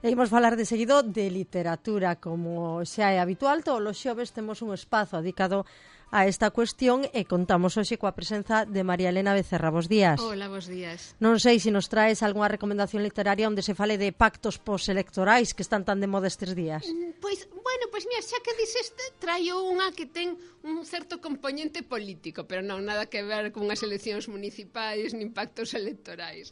E imos falar de seguido de literatura, como xa é habitual, todos os xoves temos un espazo dedicado a esta cuestión e contamos hoxe coa presenza de María Elena Becerra. Bos días. Hola, bos días. Non sei se nos traes algunha recomendación literaria onde se fale de pactos postelectorais que están tan de moda estes días. Pois mira, xa que dices, traio unha que ten un certo componente político, pero non nada que ver con as eleccións municipais nin pactos electorais.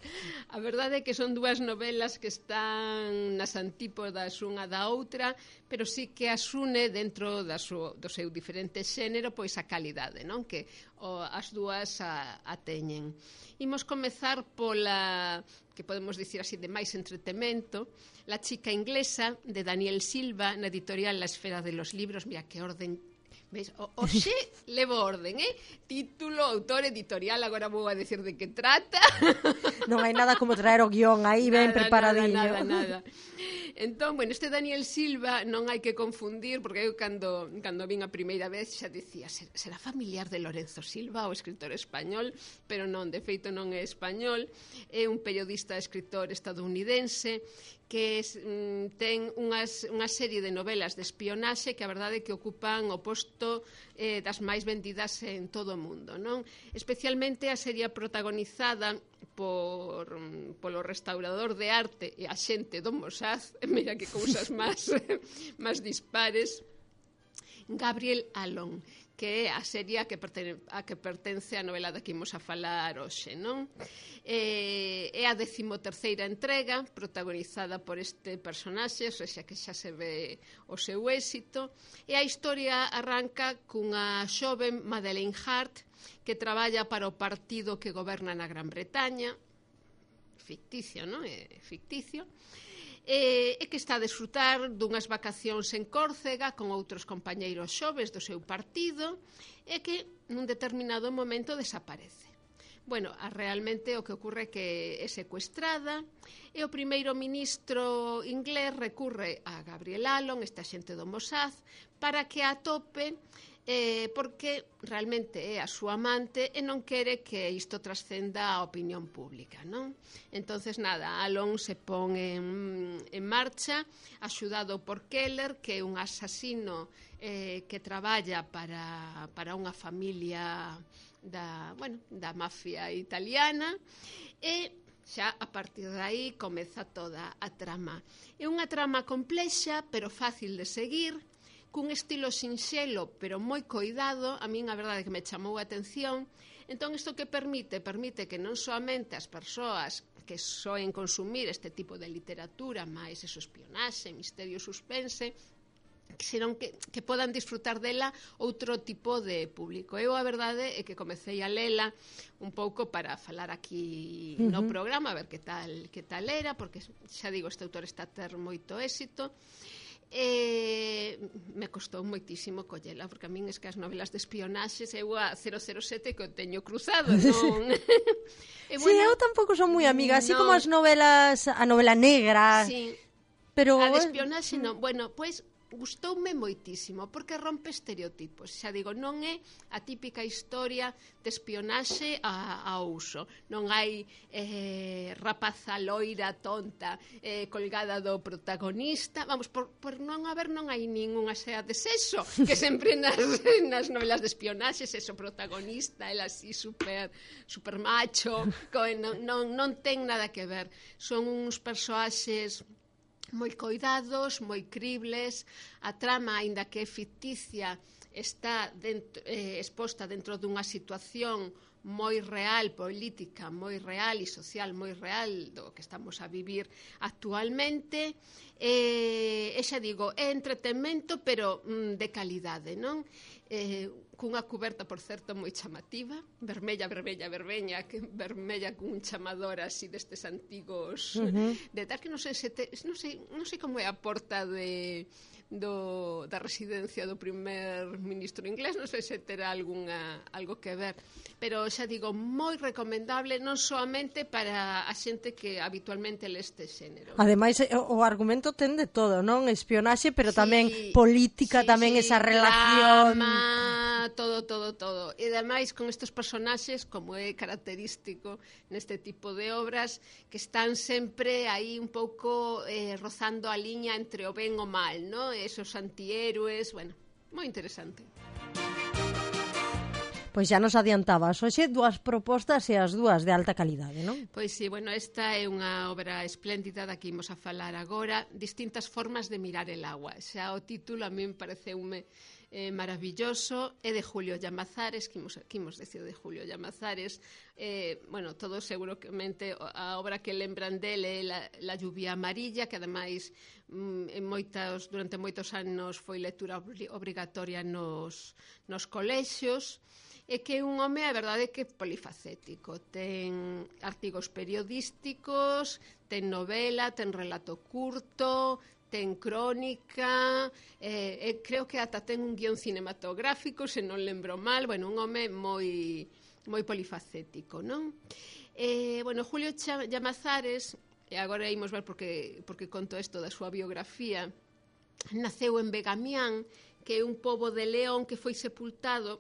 A verdade é que son dúas novelas que están nas antípodas unha da outra, pero sí que as une dentro do seu diferente xénero, pois a calidade, non? Que as dúas a teñen. Imos comezar pola, que podemos dicir así, de máis entretemento, La chica inglesa, de Daniel Silva, na editorial La Esfera de los Libros. Mira, que orden... Ves, oxe, levo orden, título, autor, editorial, agora vou a decir de que trata. Non hai nada como traer o guión aí ben preparadinho. Nada. Entón, bueno, este Daniel Silva non hai que confundir, porque eu cando vin a primeira vez xa dicía, será familiar de Lorenzo Silva, o escritor español, pero non, de feito non é español, é un periodista e escritor estadounidense que ten unha serie de novelas de espionaxe que a verdade é que ocupan o posto das máis vendidas en todo o mundo, non? Especialmente a serie protagonizada polo restaurador de arte e a xente do Mossad, mira que cousas máis dispares, Gabriel Allon, que é a serie a que pertence a novela da que imos a falar hoxe, non? É a 13ª entrega, protagonizada por este personaxe, ou seja, que xa se ve o seu éxito, e a historia arranca cunha xoven Madeleine Hart, que traballa para o partido que goberna na Gran Bretaña, ficticio, non? É ficticio, e que está a desfrutar dunhas vacacións en Córcega con outros compañeiros xoves do seu partido e que nun determinado momento desaparece. Bueno, realmente o que ocorre é que é secuestrada e o primeiro ministro inglés recurre a Gabriel Allon, esta xente do Mossad, para que a atope porque realmente é a súa amante e non quere que isto trascenda a opinión pública, non? Entonces, nada, Allon se pon en marcha, axudado por Keller, que é un asasino que traballa para unha familia da mafia italiana, e xa a partir de aí comeza toda a trama. É unha trama complexa, pero fácil de seguir, cun estilo sinxelo, pero moi coidado. A min a verdade é que me chamou a atención. Entón, isto que permite que non soamente as persoas que soen consumir este tipo de literatura, máis eso, espionaxe, misterio, suspense, senón que podan disfrutar dela outro tipo de público. Eu a verdade é que comecei a lela un pouco para falar aquí no programa, a ver que tal era, porque xa digo, este autor está a ter moito éxito. Me costou moitísimo collela, porque a min es que as novelas de espionaxes eu a 007 que o teño cruzado, non? Sí, eu tampouco son moi amiga, así como as novelas, a novela negra, sí, pero a de espionaxe non. Bueno, pois gustoume moitísimo, porque rompe estereotipos. Xa digo, non é a típica historia de espionaxe a uso. Non hai rapaza loira tonta colgada do protagonista. Vamos, por non hai ningunha sea de sexo, que sempre nas novelas de espionaxe sexo protagonista, el así super macho, non ten nada que ver. Son uns persoaxes moi coidados, moi cribles. A trama, aínda que é ficticia, está exposta dentro dunha situación moi real, política moi real e social moi real do que estamos a vivir actualmente. E xa digo, é entretenimento, pero de calidade, non? Cunha cuberta, por certo, moi chamativa, vermella cun chamador así destes antigos de tal, que non sei como é a porta da residencia do primer ministro inglés, non sei se terá algo que ver, pero xa digo, moi recomendable, non soamente para a xente que habitualmente lê este xénero. Ademais, o argumento ten de todo, non? Espionaxe, pero tamén política, tamén esa relación... Drama, todo. E ademais con estes personaxes, como é característico neste tipo de obras, que están sempre aí un pouco rozando a liña entre o ben e o mal, ¿no? Esos antihéroes, bueno, moi interesante. Pois xa nos adiantabas hoxe dúas propostas e as dúas de alta calidade, non? Pois sí, bueno, esta é unha obra espléndida da que imos a falar agora, distintas formas de mirar el agua. Xa o título a mí me pareceume maravilloso, é de Julio Llamazares, que imos decir de Julio Llamazares, bueno, todos seguramente a obra que lembran dele é La lluvia amarilla, que ademais durante moitos anos foi lectura obrigatoria nos colexios, e que é un home, a verdade, que polifacético. Ten artigos periodísticos, ten novela, ten relato curto, ten crónica, creo que ata ten un guión cinematográfico, se non lembro mal, bueno, un home moi polifacético, non? Bueno, Julio Llamazares, e agora imos ver porque conto isto da súa biografía, naceu en Begamián, que é un pobo de León que foi sepultado,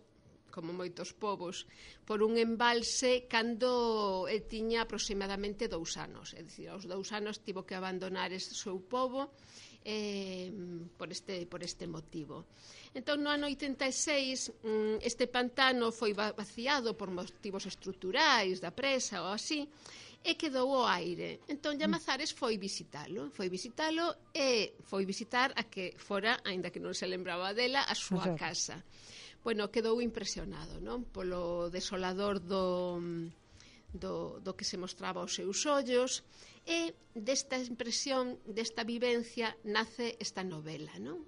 como moitos povos, por un embalse cando tiña aproximadamente 2 anos. É dicir, aos 2 anos tivo que abandonar ese seu pobo por este motivo. Entón, no ano 86, este pantano foi vaciado por motivos estruturais, da presa ou así, e quedou ao aire. Entón, Llamazares foi visitalo e foi visitar a que fora, aínda que non se lembraba dela, a súa casa. Bueno, quedou impresionado, non? Polo desolador do que se mostraba aos seus ollos, e desta impresión, desta vivencia, nace esta novela, non?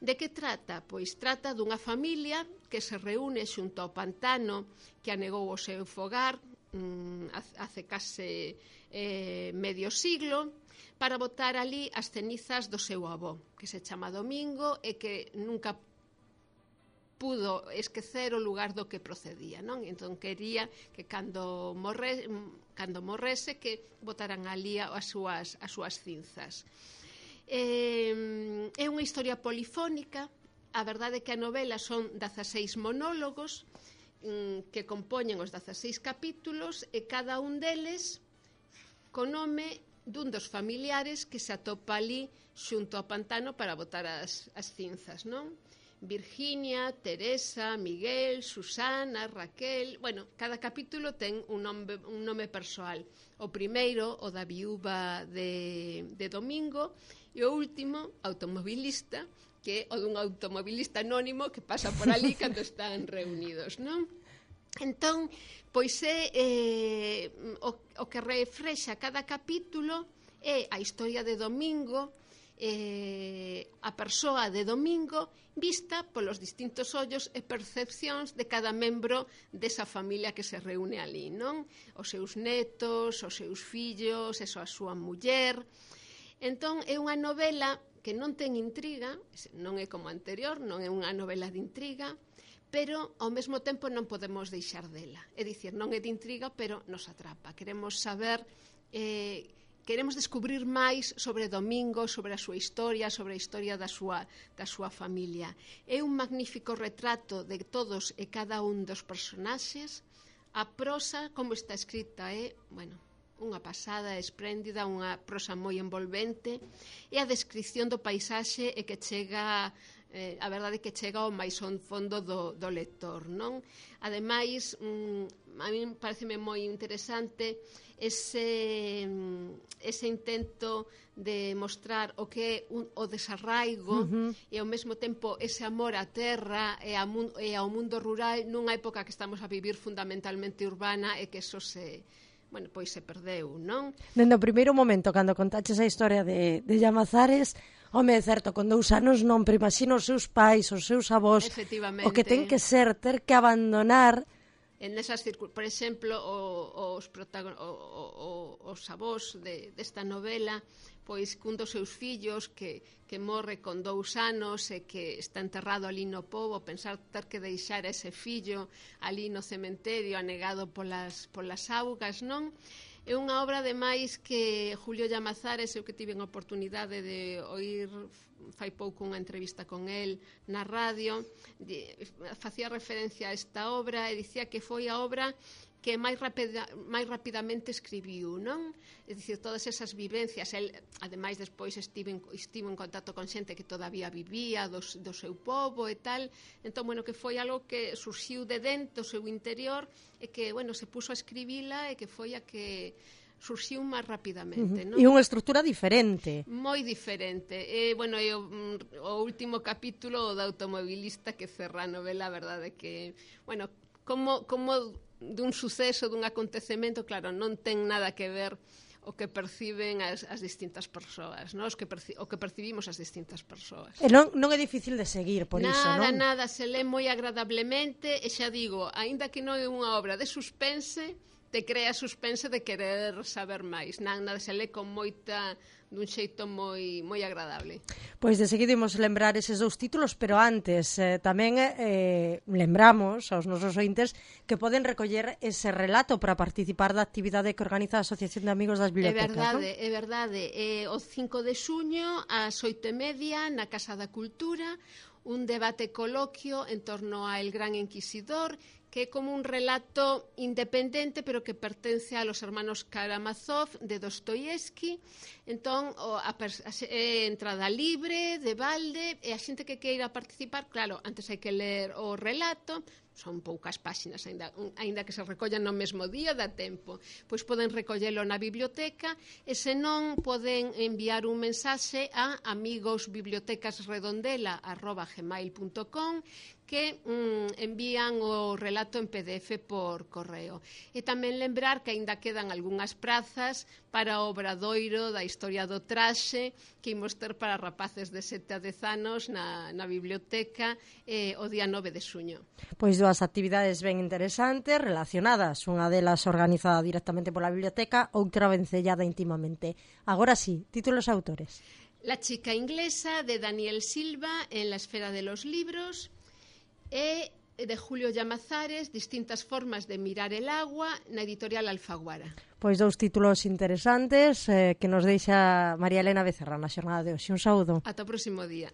De que trata? Pois trata dunha familia que se reúne xunto ao pantano que anegou o seu fogar hace case medio siglo, para botar ali as cenizas do seu avó, que se chama Domingo e que nunca pudo esquecer o lugar do que procedía, non? Entón quería que cando morrese que botaran ali as súas cinzas. É unha historia polifónica. A verdade é que a novela son 16 monólogos que compoñen os 16 capítulos, e cada un deles co nome dun dos familiares que se atopa ali xunto ao pantano para botar as cinzas, non? Virginia, Teresa, Miguel, Susana, Raquel... Bueno, cada capítulo ten un nome persoal. O primeiro, o da viúva de Domingo, e o último, automobilista, que é o dun automobilista anónimo que pasa por ali cando están reunidos, non? Entón, pois é o que reflexa cada capítulo é a historia de Domingo, a persoa de Domingo vista polos distintos ollos e percepcións de cada membro desa familia que se reúne ali, non? Os seus netos, os seus fillos, a súa muller. Entón, é unha novela que non ten intriga, non é como a anterior, non é unha novela de intriga, pero ao mesmo tempo non podemos deixar dela. É dicir, non é de intriga, pero nos atrapa. Queremos saber... Queremos descubrir máis sobre Domingo, sobre a súa historia, sobre a historia da súa familia. É un magnífico retrato de todos e cada un dos personaxes. A prosa, como está escrita, é, bueno, unha pasada espléndida, unha prosa moi envolvente, e a descripción do paisaxe é que chega... a verdade é que chega ao máis fondo do lector, non? Ademais, a mí pareceme moi interesante ese intento de mostrar o que é o desarraigo e ao mesmo tempo ese amor á terra e ao mundo rural nunha época que estamos a vivir fundamentalmente urbana e que eso se perdeu, non? Dende o primeiro momento, cando contaches a historia de Llamazares, home, é certo, con 2 anos non, pero imagino os seus pais, os seus avós, o que ten que ser, ter que abandonar... En esas por exemplo, os avós desta novela, pois cun dos seus fillos que morre con 2 anos e que está enterrado ali no pobo, pensar ter que deixar ese fillo ali no cementerio anegado polas augas, non? É unha obra, ademais, que Julio Llamazares, eu que tive a oportunidade de oír fai pouco unha entrevista con el na radio, facía referencia a esta obra e dicía que foi a obra que máis rapidamente escribiu, non? É dicir, todas esas vivencias, el, ademais, despois estivo en contacto con xente que todavía vivía do seu pobo e tal, entón, bueno, que foi algo que surxiu de dentro do seu interior e que, bueno, se puso a escribila e que foi a que surxiu máis rapidamente, non? E unha estrutura diferente. Moi diferente. Bueno, o último capítulo, o da automobilista que cerra a novela, a verdade que, bueno, como dun suceso, dun acontecemento, claro, non ten nada que ver o que perciben as distintas persoas, non? O que percibimos as distintas persoas. E non é difícil de seguir, por iso, non? Nada, se lê moi agradablemente, e xa digo, aínda que non é unha obra de suspense, te crea suspense de querer saber máis. Nada, se lê con dun xeito moi agradable. Pois de seguido imos lembrar eses dous títulos, pero antes tamén lembramos aos nosos ointes que poden recoller ese relato para participar da actividade que organiza a Asociación de Amigos das Bibliotecas. É verdade. O 5 de xuño, ás 8:30, na Casa da Cultura, un debate coloquio en torno ao Gran Inquisidor, que é como un relato independente, pero que pertence a los hermanos Karamazov de Dostoyevsky. Entón, é entrada libre, de balde, e a xente que queira participar, claro, antes hai que ler o relato, son poucas páxinas, aínda que se recollan no mesmo día, dá tempo. Pois poden recollelo na biblioteca, e senón poden enviar un mensaxe a amigosbibliotecasredondela@gmail.com, que envían o relato en PDF por correo. E tamén lembrar que aínda quedan algunhas prazas para o obradoiro da historia do traxe que imos ter para rapaces de 7 a 10 anos na biblioteca o día 9 de xuño. Pois dúas actividades ben interesantes relacionadas, unha delas organizada directamente pola biblioteca, outra vencellada intimamente. Agora sí, títulos e autores. La chica inglesa, de Daniel Silva, en la esfera de los libros, e de Julio Llamazares, distintas formas de mirar el agua, na editorial Alfaguara. Pois dous títulos interesantes que nos deixa María Elena Becerra na xornada de hoxe. Un saúdo. Ata o próximo día.